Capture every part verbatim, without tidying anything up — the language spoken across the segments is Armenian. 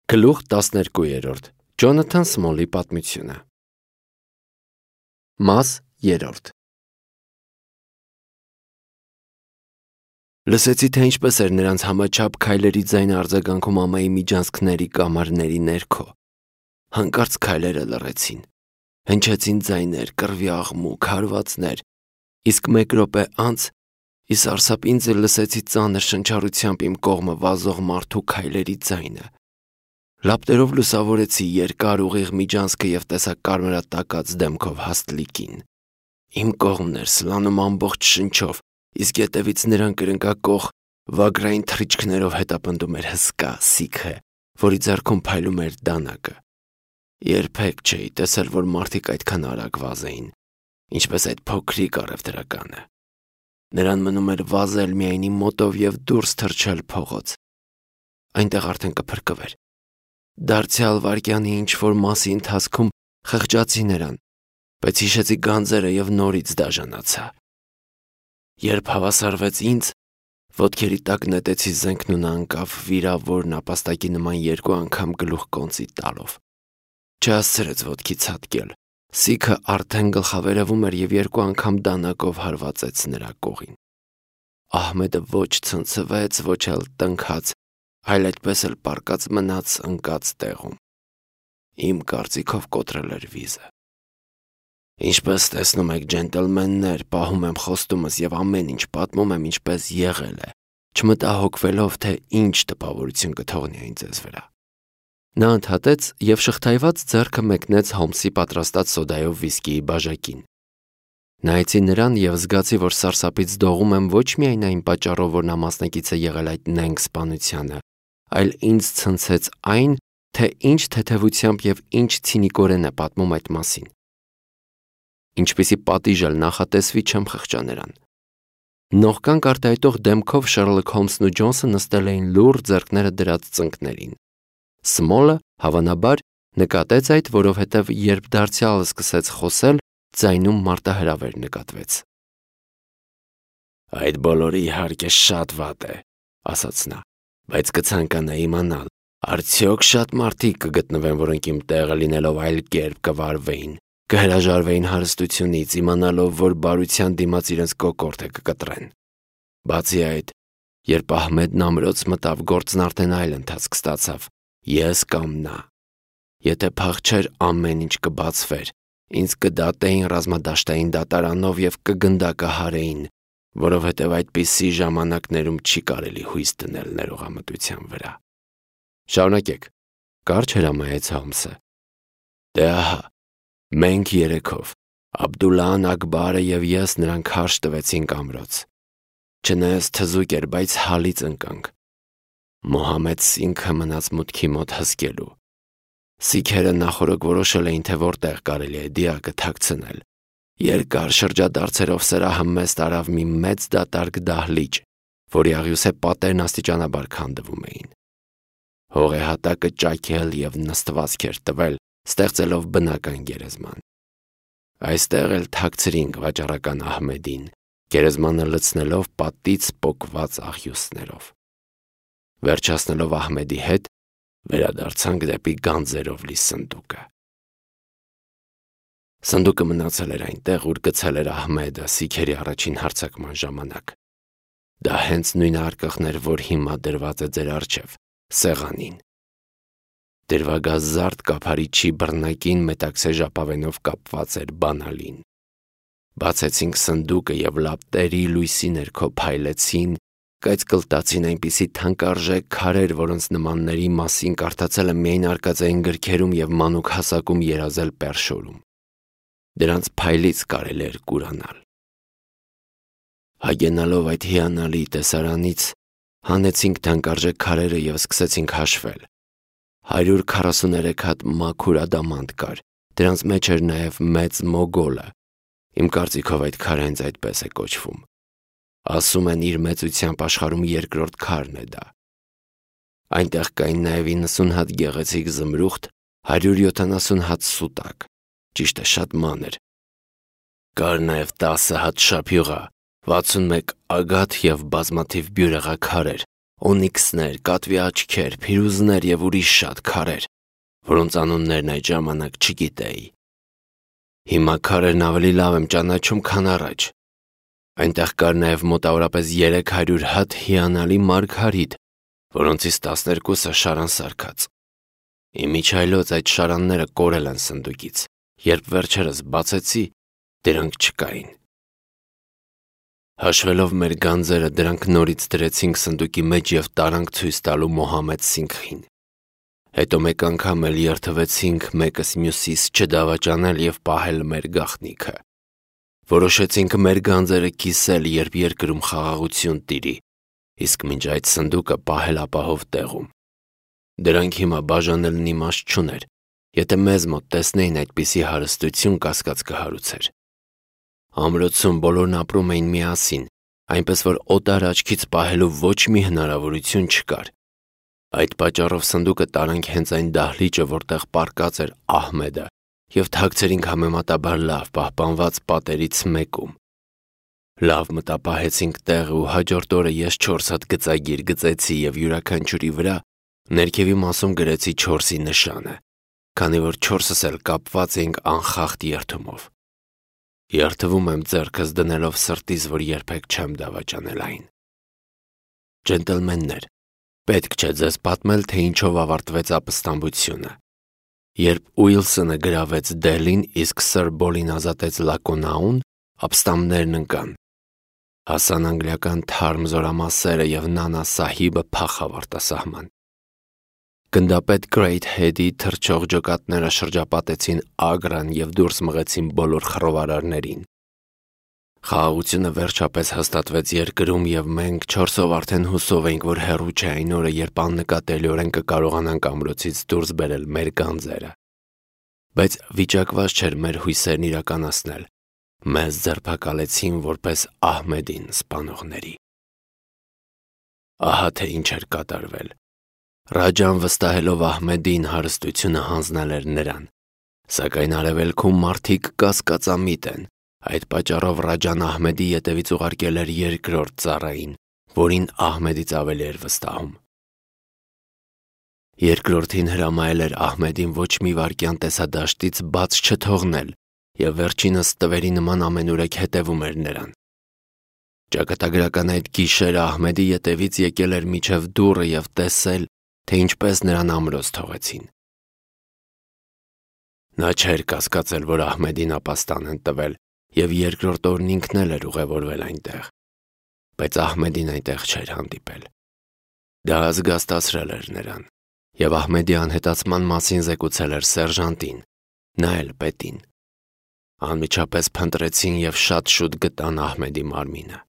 Գլուխ տասներկու Ջոնաթան Սմոլի պատմությունը։ Մաս երրորդ Լսեցի, թե ինչպես էր նրանց համաչափ քայլերի ձայնը արձագանքում ամայի միջանցքների կամարների ներքո։ Հանկարծ քայլերը լռեցին, հնչեցին ձայներ, կռվի աղմուկ, հարվածներ, իսկ մեկ րոպե անց ի սարսափ ինձ էլ լսեցի ծանր շնչառությամբ իմ կողմը վազող մարդու քայլերի ձայնը։ Լապտերով լուսավորեցի երկար ուղիղ միջանցքը և տեսա կարմրատակած դեմքով հաստլիկին։ Իմ կողմն էր սլանում ամբողջ շնչով, իսկ ետևից նրան կրնկակող վագրային թռիչքներով հետապնդում էր հսկա սիքը, որի ձեռքում փայլում էր դանակը։ Երբեք չէի տեսել, որ մարդիկ այդքան արագ վազեին, ինչպես այդ փոքրիկ առևտրականը։ Նրան մնում էր վազել միայն իմ մոտով և դուրս թռչել փողոց։ Այնտեղ արդեն կփրկվեր։ Դարձյալ վայրկյանի ինչ-որ մասի ընթացքում խղճացի նրան, բայց հիշեցի գանձերը և նորից դաժանացա։ Երբ հավասարվեց ինձ, ոտքերի տակ նետեցի զենքն ու նա ընկավ վիրավորն ապաստակի նման երկու անգամ գլուխ կոնծի տալով։ Չհասցրեց ոտքի ցատկել։ Սիքը արդեն գլխավերևում էր և երկու անգամ դանակով հարվածեց նրա կողին։ Ահմեդը ոչ ցնցվեց, ոչ էլ տնքաց, այլ այդպես էլ պառկած մնաց ընկած տեղում։ Իմ կարծիքով կոտրել էր վիզը։ Ինչպես տեսնում եք, ջենտլմեններ, պահում եմ խոստումս և ամեն ինչ պատմում եմ ինչպես եղել է, չմտահոգվելով, թե ինչ տպավորություն կթողնի այն ձեզ վրա։ Նա ընդհատեց և շղթայված ձեռքը մեկնեց Հոլմսի պատրաստած սոդայով վիսկիի բաժակին։ Նայեցի նրան և զգացի, որ սարսափից դողում եմ ոչ միայն այն պատճառով, որ նա մասնակից է եղել այդ նենգ սպանությանը, այլ ինձ ցնցեց այն, թե ինչ թեթևությամբ և ինչ ցինիկորեն է պատմում այդ մասին։ Ինչպիսի պատիժ էլ նախատեսվի, չեմ խղճա նրան։ Նողկանք արտահայտող դեմքով Շերլոք Հոլմսն ու Ջոնսը նստել էին լուռ ձեռքները դրած ծնկներին։ Սմոլը, հավանաբար, նկատեց այդ, որովհետև երբ դարձյալը սկսեց խոսել, ձայնում մարտահրավեր նկատվեց։ «Այդ բոլորը իհարկե շատ վատ է», ասաց նա, «բայց կցանկանայի իմանալ, արդյոք շատ մարդիկ կգտնվեն, որոնք իմ տեղը լինելով այլ կերպ կվարվեին, կհրաժարվեին հարստությունից, իմանալով, որ բարության դիմաց իրենց կոկորդը կկտրեն։ Բացի այդ, երբ Ահմեդն ամրոց մտավ, գործն արդեն այլ ընթացք ստացավ, ես կամ նա։ Եթե փախչեր, ամեն ինչ կբացվեր, ինձ կդատեին ռազմադաշտային դատարանով և կգնդակահարեին, որովհետև այդպիսի ժամանակներում չի կարելի հույս դնել ներողամտության վրա»։ «Շարունակեք», կարճ հրամայեց Հոլմսը։ «Դե ահա, մենք երեքով, Աբդուլլահան Աքբարը և ես նրան քարշ տվեցինք ամրոց։ Չնայած թզուկ էր, բայց հալից ընկանք։ Մոհամեդ Սինգը մնաց մուտքի մոտ հսկելու։ Սիկհերը նախօրոք որոշել էին, թե որտեղ կարելի է դիակը թաքցնել։ Երկար շրջադարձերով սրահը մեզ տարավ մի մեծ դատարկ դահլիճ, որի աղյուսե պատերն աստիճանաբար քանդվում էին։ Հողեհատակը ճաքել և նստվածք էր տվել, ստեղծելով բնական գերեզման։ Այստեղ էլ թաքցրինք վաճառական Ահմեդին, գերեզմանը լցնելով պատից պոկված աղյուսներով։ Վերջացնելով Ահմեդի հետ, վերադարձանք դեպի գանձերով լի սնդուկը։ Սնդուկը մնացել էր այնտեղ, ուր գցել էր Ահմեդը սիկհերի առաջին հարձակման ժամանակ։ Դա հենց նույն արկղն էր, որ հիմա դրված է ձեր առջև, սեղանին։ Դրվագազարդ կափարիչի բռնակին մետաքսե ժապավենով կապված էր բանալին։ Բացեցինք սնդուկը և լապտերի լույսի ներքո փայլեցին, կայծկլտացին այնպիսի թանկարժեք քարեր, որոնց նմանների մասին կարդացել եմ միայն արկածային գրքերում և մանուկ հասակում երազել Պերշորում։ Դրանց փայլից կարելի էր կուրանալ։ Հագենալով այդ հիանալի տեսարանից, հանեցինք թանկարժեք քարերը և սկսեցինք հաշվել։ Հարյուր քառասուներեք հատ մաքուր ադամանդ կար, դրանց մեջ էր նաև մեծ մոգոլը։ Իմ կարծիքով այդ քարը հենց այդպես է կոչվում։ Ասում են, իր մեծությամբ աշխարհում երկրորդ քարն է դա։ Այնտեղ կային նաև իննսուն հատ գեղեցիկ զմրուխտ, հարյուր յոթանասուն հատ սուտակ, ճիշտ է, շատ մանր։ Կար նաև տասը հատ շափյուղա, վաթսունմեկ ագաթ և բազմաթիվ բյուրեղաքարեր, օնիքսներ, կատվի աչքեր, փիրուզներ եւ ուրիշ շատ քարեր, որոնց անուններն այդ ժամանակ չգիտեի։ Հիմա քարերն ավելի լավ եմ ճանաչում, քան առաջ։ Այնտեղ կար նաև մոտավորապես երեք հարյուր հատ հիանալի մարգարիտ, որոնցից տասներկուսը շարան սարքած։ Իմիջայլոց այդ շարանները կորել են սնդուկից, երբ վերջերս բացեցի, դրանք չկային։ Հաշվելով մեր գանձերը, դրանք նորից դրեցինք սնդուկի մեջ և տարանք ցույց տալու Մոհամեդ Սինգհին։ Հետո մեկ անգամ էլ երդվեցինք մեկս մյուսիս չդավաճանել և պահել մեր գաղտնիքը։ Որոշեցինք մեր գանձերը կիսել, երբ երկրում խաղաղություն տիրի, իսկ մինչ այդ սնդուկը պահել ապահով տեղում։ Դրանք հիմա բաժանելն իմաստ չուներ, եթե մեզ մոտ տեսնեին այդպիսի հարստություն, կասկած կհարուցեր։ Ամրոցում բոլորն ապրում էին միասին, այնպես որ օտար աչքից պահելու ոչ մի հնարավորություն չկար։ Այդ պատճառով սնդուկը տարանք հենց այն դահլիճը, որտեղ պառկած էր Ահմեդը, և թաքցրինք համեմատաբար լավ պահպանված պատերից մեկում։ Լավ մտապահեցինք տեղը ու հաջորդ օրը ես չորս հատ գծագիր գծեցի և յուրաքանչյուրի վրա ներքևի մասում գրեցի չորսի նշանը, քանի որ չորսս էլ կապված էինք անխախտ երդումով։ Երդվում եմ ձեռքս դնելով սրտիս, որ երբեք չեմ դավաճանել այն։ Ջենտլմեններ, պետք չէ ձեզ պատմել, թե ինչով ավարտվեց ապստամբությունը։ Երբ Ուիլսոնը գրավեց Դելին, իսկ Սըր Բոլին ազատեց Լակոնաուն, ապստամբներն ընկան։ Հասան անգլիական թարմ զորամասերը և Նանա Սահիբը փախավ արտասահման։ Գնդապետ Գրեյթհեդի թռչող ջոկատները շրջապատեցին Ագրան և դուրս մղեցին բոլոր խռովարարներին։ Խաղաղությունը վերջապես հաստատվեց երկրում, և մենք չորսով արդեն հուսով էինք, որ հեռու չէ այն օրը, երբ աննկատելիորեն կկարողանանք ամրոցից դուրս բերել մեր գանձերը։ Բայց վիճակված չէր մեր հույսերն իրականացնել։ Մեզ ձերբակալեցին որպես Ահմեդին սպանողների։ Ահա թե ինչ էր կատարվել։ Ռաջան վստահելով Ահմեդին հարստությունը հանձնել էր նրան, սակայն արևելքում մարդիկ կասկածամիտ են, այդ պատճառով Ռաջան Ահմեդի ետևից ուղարկել էր երկրորդ ծառային, որին Ահմեդից ավելի էր վստահում։ Երկրորդին հրամայել էր Ահմեդին ոչ մի վայրկյան տեսադաշտից բաց չթողնել և վերջինս տվերի նման ամենուրեք հետևում էր նրան։ Ճակատագրական այդ գիշերը Ահմեդի ետևից եկել էր մինչև դուռը և տեսել, թե ինչպես նրան ամրոց թողեցին։ Նա չէր կասկածել, որ Ահմեդին ապաստան են տվել, և երկրորդ օրն ինքն էլ էր ուղևորվել այնտեղ, բայց Ահմեդին այնտեղ չէր հանդիպել։ Դա զգաստացրել էր նրան, և Ահմեդի անհետացման մասին զեկուցել էր սերժանտին, նա էլ պետին։ Անմիջապես փնտրեցին և շատ շուտ գտան Ահմեդի մարմինը։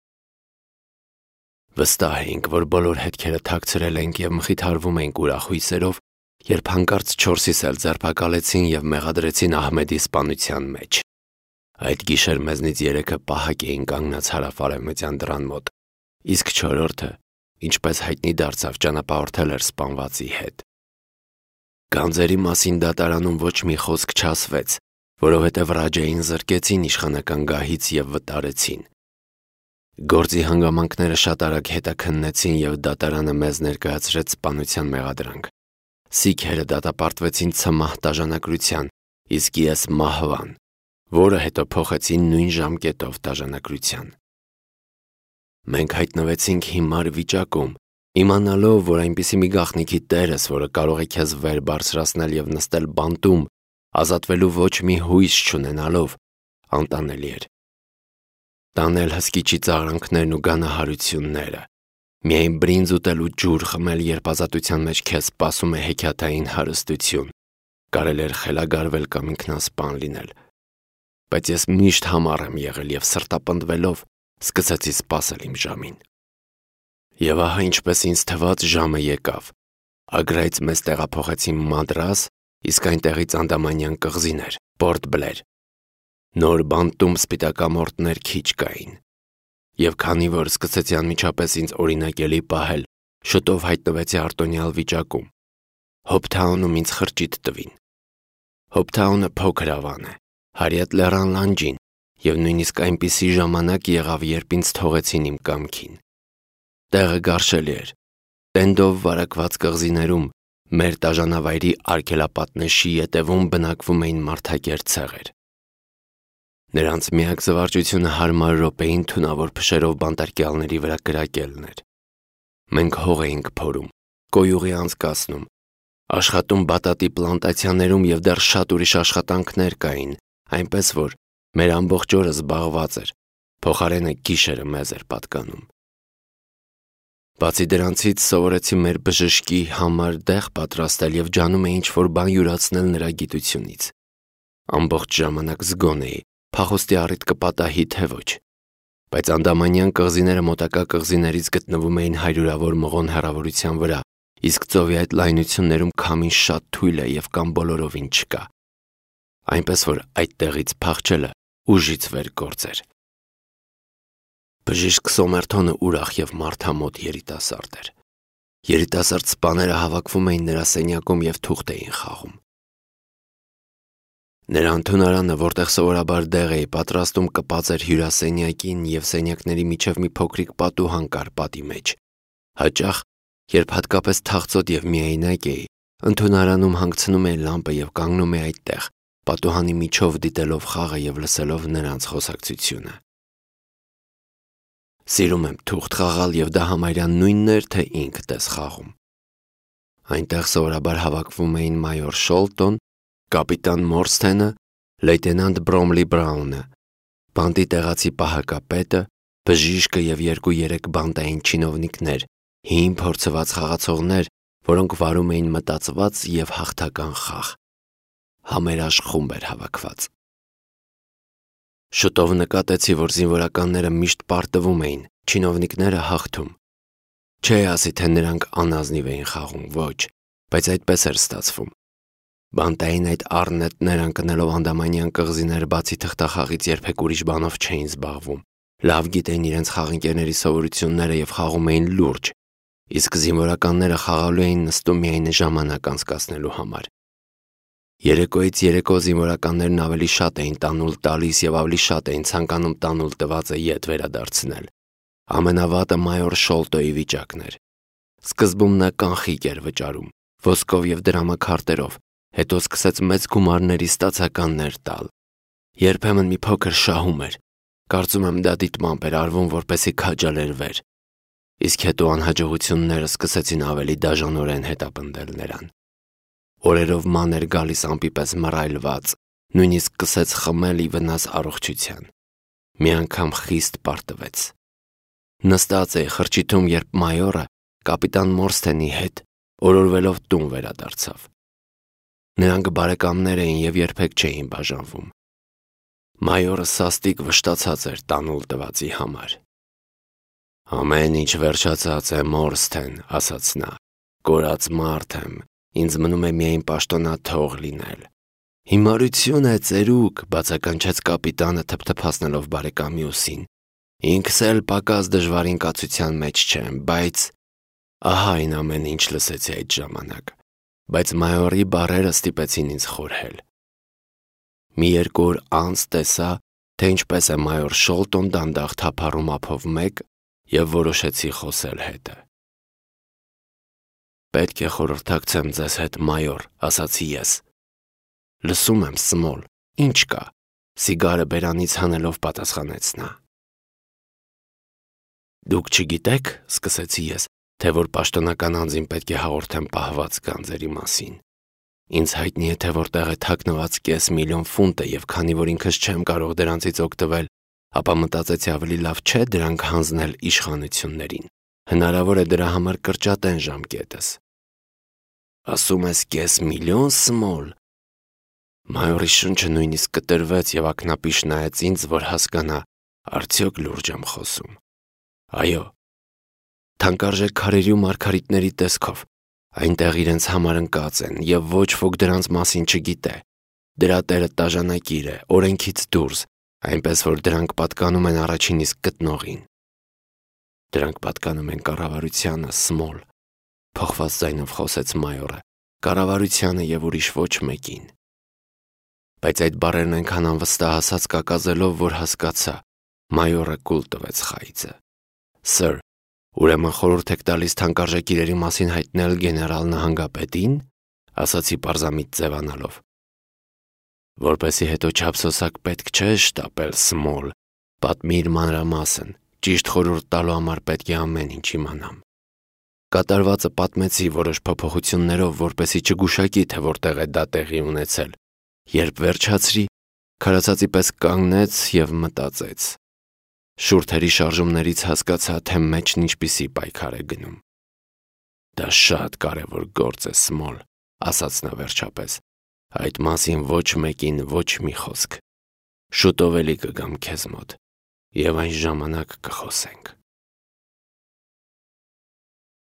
Վստահ էինք, որ բոլոր հետքերը թաքցրել ենք և մխիթարվում էինք ուրախ հույսերով, երբ հանկարծ չորսիս էլ ձերբակալեցին և մեղադրեցին Ահմեդի սպանության մեջ։ Այդ գիշեր մեզնից երեքը պահակ էին կանգնած հարավ-արևմտյան դռան մոտ, իսկ չորրորդը, ինչպես հայտնի դարձավ, ճանապարհորդել էր սպանվածի հետ։ Գանձերի մասին դատարանում ոչ մի խոսք չասվեց, որովհետև Ռաջային զրկեցին իշխանական գահից և վտարեցին։ Գործի հանգամանքները շատ արագ հետաքննեցին և դատարանը մեզ ներկայացրեց սպանության մեղադրանք։ Սիկհերը դատապարտվեցին ցմահ դաժանակրության, իսկ ես մահվան, որը հետո փոխեցին նույն ժամկետով դաժանակրության։ Մենք հայտնվեցինք հիմար վիճակում, իմանալով, որ այնպիսի մի գաղտնիքի տերես, որը կարող է քեզ վեր բարձրացնել և նստել բանտում, ազատվելու ոչ մի հույս չունենալով, անտանելի էր։ Տանել հսկիչի ծաղրանքներն ու գանահարությունները, միայն բրինձ ուտել ու ջուր խմել, երբ ազատության մեջ քեզ սպասում է հեքիաթային հարստություն, կարելի էր խելագարվել կամ ինքնասպան լինել։ Բայց ես միշտ համառ եմ եղել և սրտապնդվելով սկսեցի սպասել իմ ժամին։ Եվ ահա ինչպես ինձ թվաց, ժամը եկավ։ Ագրայից մեզ տեղափոխեցին Մադրաս, իսկ այնտեղից Անդամանյան կղզիներ, Պորտ Բլեր։ Նոր բանտում սպիտակամորտներ քիչ կային։ Եվ քանի որ սկսեցի անմիջապես ինձ օրինակելի պահել, շուտով հայտնվեցի արտոնյալ վիճակում։ Հոփթաունում ինձ խրճիթ տվին։ Հոփթաունը փոքր ավան է, հարյատ լեռան լանջին, և նույնիսկ այնպիսի ժամանակ եղավ, երբ ինձ թողեցին իմ կամքին։ Տեղը գարշելի էր։ Տենդով վարակված կղզիներում մեր տաժանավայրի արգելապատնեշի ետևում բնակվում էին մարդակերտ ցեղեր։ Նրանց միակ զվարճությունը հարմար րոպեին թունավոր փշերով բանտարկյալների վրա կրակելն էր։ Մենք հող էինք փորում, կոյուղի անցկացնում, աշխատում բատատի պլանտացիաներում և դեռ շատ ուրիշ աշխատանքներ կային, այնպես որ մեր ամբողջ օրը զբաղված էր, փոխարենը գիշերը մեզ էր պատկանում։ Բացի դրանցից սովորեցի մեր բժշկի համար դեղ պատրաստել և ջանում էի ինչ-որ բան յուրացնել նրա գիտությունից։ Ամբողջ ժամանակ զգոն էի, փախուստի առիթ կպատահի, թե ոչ։ Բայց անդամանյան կղզիները մոտակա կղզիներից գտնվում էին հարյուրավոր մղոն հեռավորության վրա, իսկ ծովի այդ լայնություններում քամին շատ թույլ է և կամ բոլորովին չկա։ Այնպես որ այդտեղից փախչելը ուժից վեր գործ էր։ Բժիշկ Սոմերթոնը ուրախ և մարդամոտ երիտասարդ էր։ Երիտասարդ սպաները հավաքվում էին նրա սենյակում և թուղթ էին խաղում։ Նրա ընդունարանը, որտեղ սովորաբար դեղ էի պատրաստում, կպած էր հյուրասենյակին և սենյակների միջև մի փոքրիկ պատուհան կար պատի մեջ։ Հաճախ, երբ հատկապես թախծոտ և միայնակ էի, ընդունարանում հանգցնում էի լամպը և կանգնում էի այդտեղ, պատուհանի միջով դիտելով խաղը և լսելով նրանց խոսակցությունը։ Սիրում եմ թուղթ խաղալ և դա համարյա նույնն էր, թե ինքդ ես խաղում։ Այնտեղ սովորաբար հավաքվում էին մայոր Շոլտոն, կապիտան Մորսթենը, լեյտենանտ Բրոմլի Բրաունը, բանտի տեղացի պահակապետը, բժիշկը և երկու-երեք բանտային չինովնիկներ, հին փորձված խաղացողներ, որոնք վարում էին մտածված և հաղթական խաղ։ Համերաշխ խումբ էր հավաքված։ Շուտով նկատեցի, որ զինվորականները միշտ պարտվում էին, չինովնիկները հաղթում։ Չէի ասի, թե նրանք անազնիվ էին խաղում, ոչ, բայց այդպես էր ստացվում։ Բանտային այդ առնետներ ընկնելով անդամանյան կղզիները բացի թղթախաղից երբեք ուրիշ բանով չէին զբաղվում, լավ գիտեին իրենց խաղընկերների սովորությունները և խաղում էին լուրջ, իսկ զինվորականները խաղալու էին նստում միայն ժամանակ անցկացնելու համար։ Երեկոյից երեկո զինվորականներն ավելի շատ էին տանուլ տալիս և ավելի շատ էին ցանկանում տանուլ տվածը ետ վերադարձնել։ Ամենավատը մայոր Շոլտոյի վիճակն էր։ Սկզբում նա կանխիկ էր վճարում, ոսկով և դրամաքարտերով, հետո սկսեց մեծ գումարների ստացականներ տալ։ Երբեմն մի փոքր շահում էր, կարծում եմ դա դիտմամբ էր արվում, որպեսզի քաջալերվեր, իսկ հետո անհաջողությունները սկսեցին ավելի դաժանորեն հետապնդել նրան։ Օրերով ման էր գալիս ամպի պես մռայլված, նույնիսկ սկսեց խմել ի վնաս առողջության։ Մի անգամ խիստ պարտվեց։ Նստած էի խրճիթում, երբ մայորը կապիտան Մորսթենի հետ օրորվելով տուն վերադարձավ։ Նրանք բարեկամներ էին և երբեք չէին բաժանվում։ Մայորը սաստիկ վշտացած էր տանուլ տվածի համար։ «Ամեն ինչ վերջացած է, Մորսթեն», ասաց նա, «կորած մարդ եմ, ինձ մնում է միայն պաշտոնաթող լինել»։ «Հիմարություն է, ծերուկ», բացականչեց կապիտանը թփթփացնելով բարեկամի ուսին։ «Ինքս էլ պակաս դժվարին կացության մեջ չեմ, բայց…» Ահա այն ամեն ինչ լսեցի այդ ժամանակ, բայց մայորի բառերը ստիպեցին ինձ խորհել։ Մի երկու օր անց տեսա, թե ինչպես է մայոր Շոլտոն դանդաղ թափառում ափով մեկ և որոշեցի խոսել հետը։ «Պետք է խորհրդակցեմ ձեզ հետ, մայոր», ասացի ես։ «Լսում եմ, Սմոլ, ինչ կա», սիգարը բերանից հանելով պատասխանեց նա։ «Դուք չգիտեք», սկսեցի ես, թե որ պաշտոնական անձին պետք է հաղորդեմ պահված գանձերի մասին։ Ինձ հայտնի է, թե որտեղ է թաքնված կես միլիոն ֆունտը և քանի որ ինքս չեմ կարող դրանցից օգտվել, ապա մտածեցի ավելի լավ չէ դրանք հանձնել իշխանություններին։ Հնարավոր է դրա համար կրճատեն ժամկետս։ «Ասում ես կես միլիոն, Սմոլ»։ Մայորի շունչը նույնիսկ կտրվեց և ակնապիշ նայեց ինձ, որ հասկանա, արդյոք լուրջ եմ խոսում։ Այո, թանկարժեք քարերի ու մարգարիտների տեսքով, այնտեղ իրենց համար ընկած են և ոչ ոք դրանց մասին չգիտե։ Դրա տերը տաժանակիր է, օրենքից դուրս, այնպես որ դրանք պատկանում են առաջին իսկ գտնողին։ Դրանք պատկանում են կառավարությանը, Սմոլ, փոխված ձայնով խոսեց մայորը, կառավարությանը և ուրիշ ոչ մեկին։ Բայց այդ բառերն այնքան անվստահացած կակազելով, որ հասկացա, մայորը կուլ տվեց խայծը։ Սըր, Ուրեմն խորհուրդ եք տալիս թանկարժեք իրերի մասին հայտնել գեներալ նահանգապետին, ասացի պարզամիտ ձևանալով։ Որպեսի հետո չափսոսակ պետք չէ շտապել, Սմոլ, պատմիր մանրամասն, ճիշտ խորհուրդ տալու համար պետք է ամեն ինչ իմանամ։ Կատարվածը պատմեցի որոշ փոփոխություններով, որպեսի չգուշակի, թե որտեղ է դա տեղի ունեցել։ Երբ վերջացրի, քարացածի պես կանգնեց և մտածեց։ Շուրթերի շարժումներից հասկացա, թե մեջն ինչպիսի պայքար է գնում։ Դա շատ կարևոր գործ է, Սմոլ, ասաց նա վերջապես։ Այդ մասին ոչ մեկին ոչ մի խոսք։ Շուտով էլի կգամ քեզ մոտ, և այն ժամանակ կխոսենք։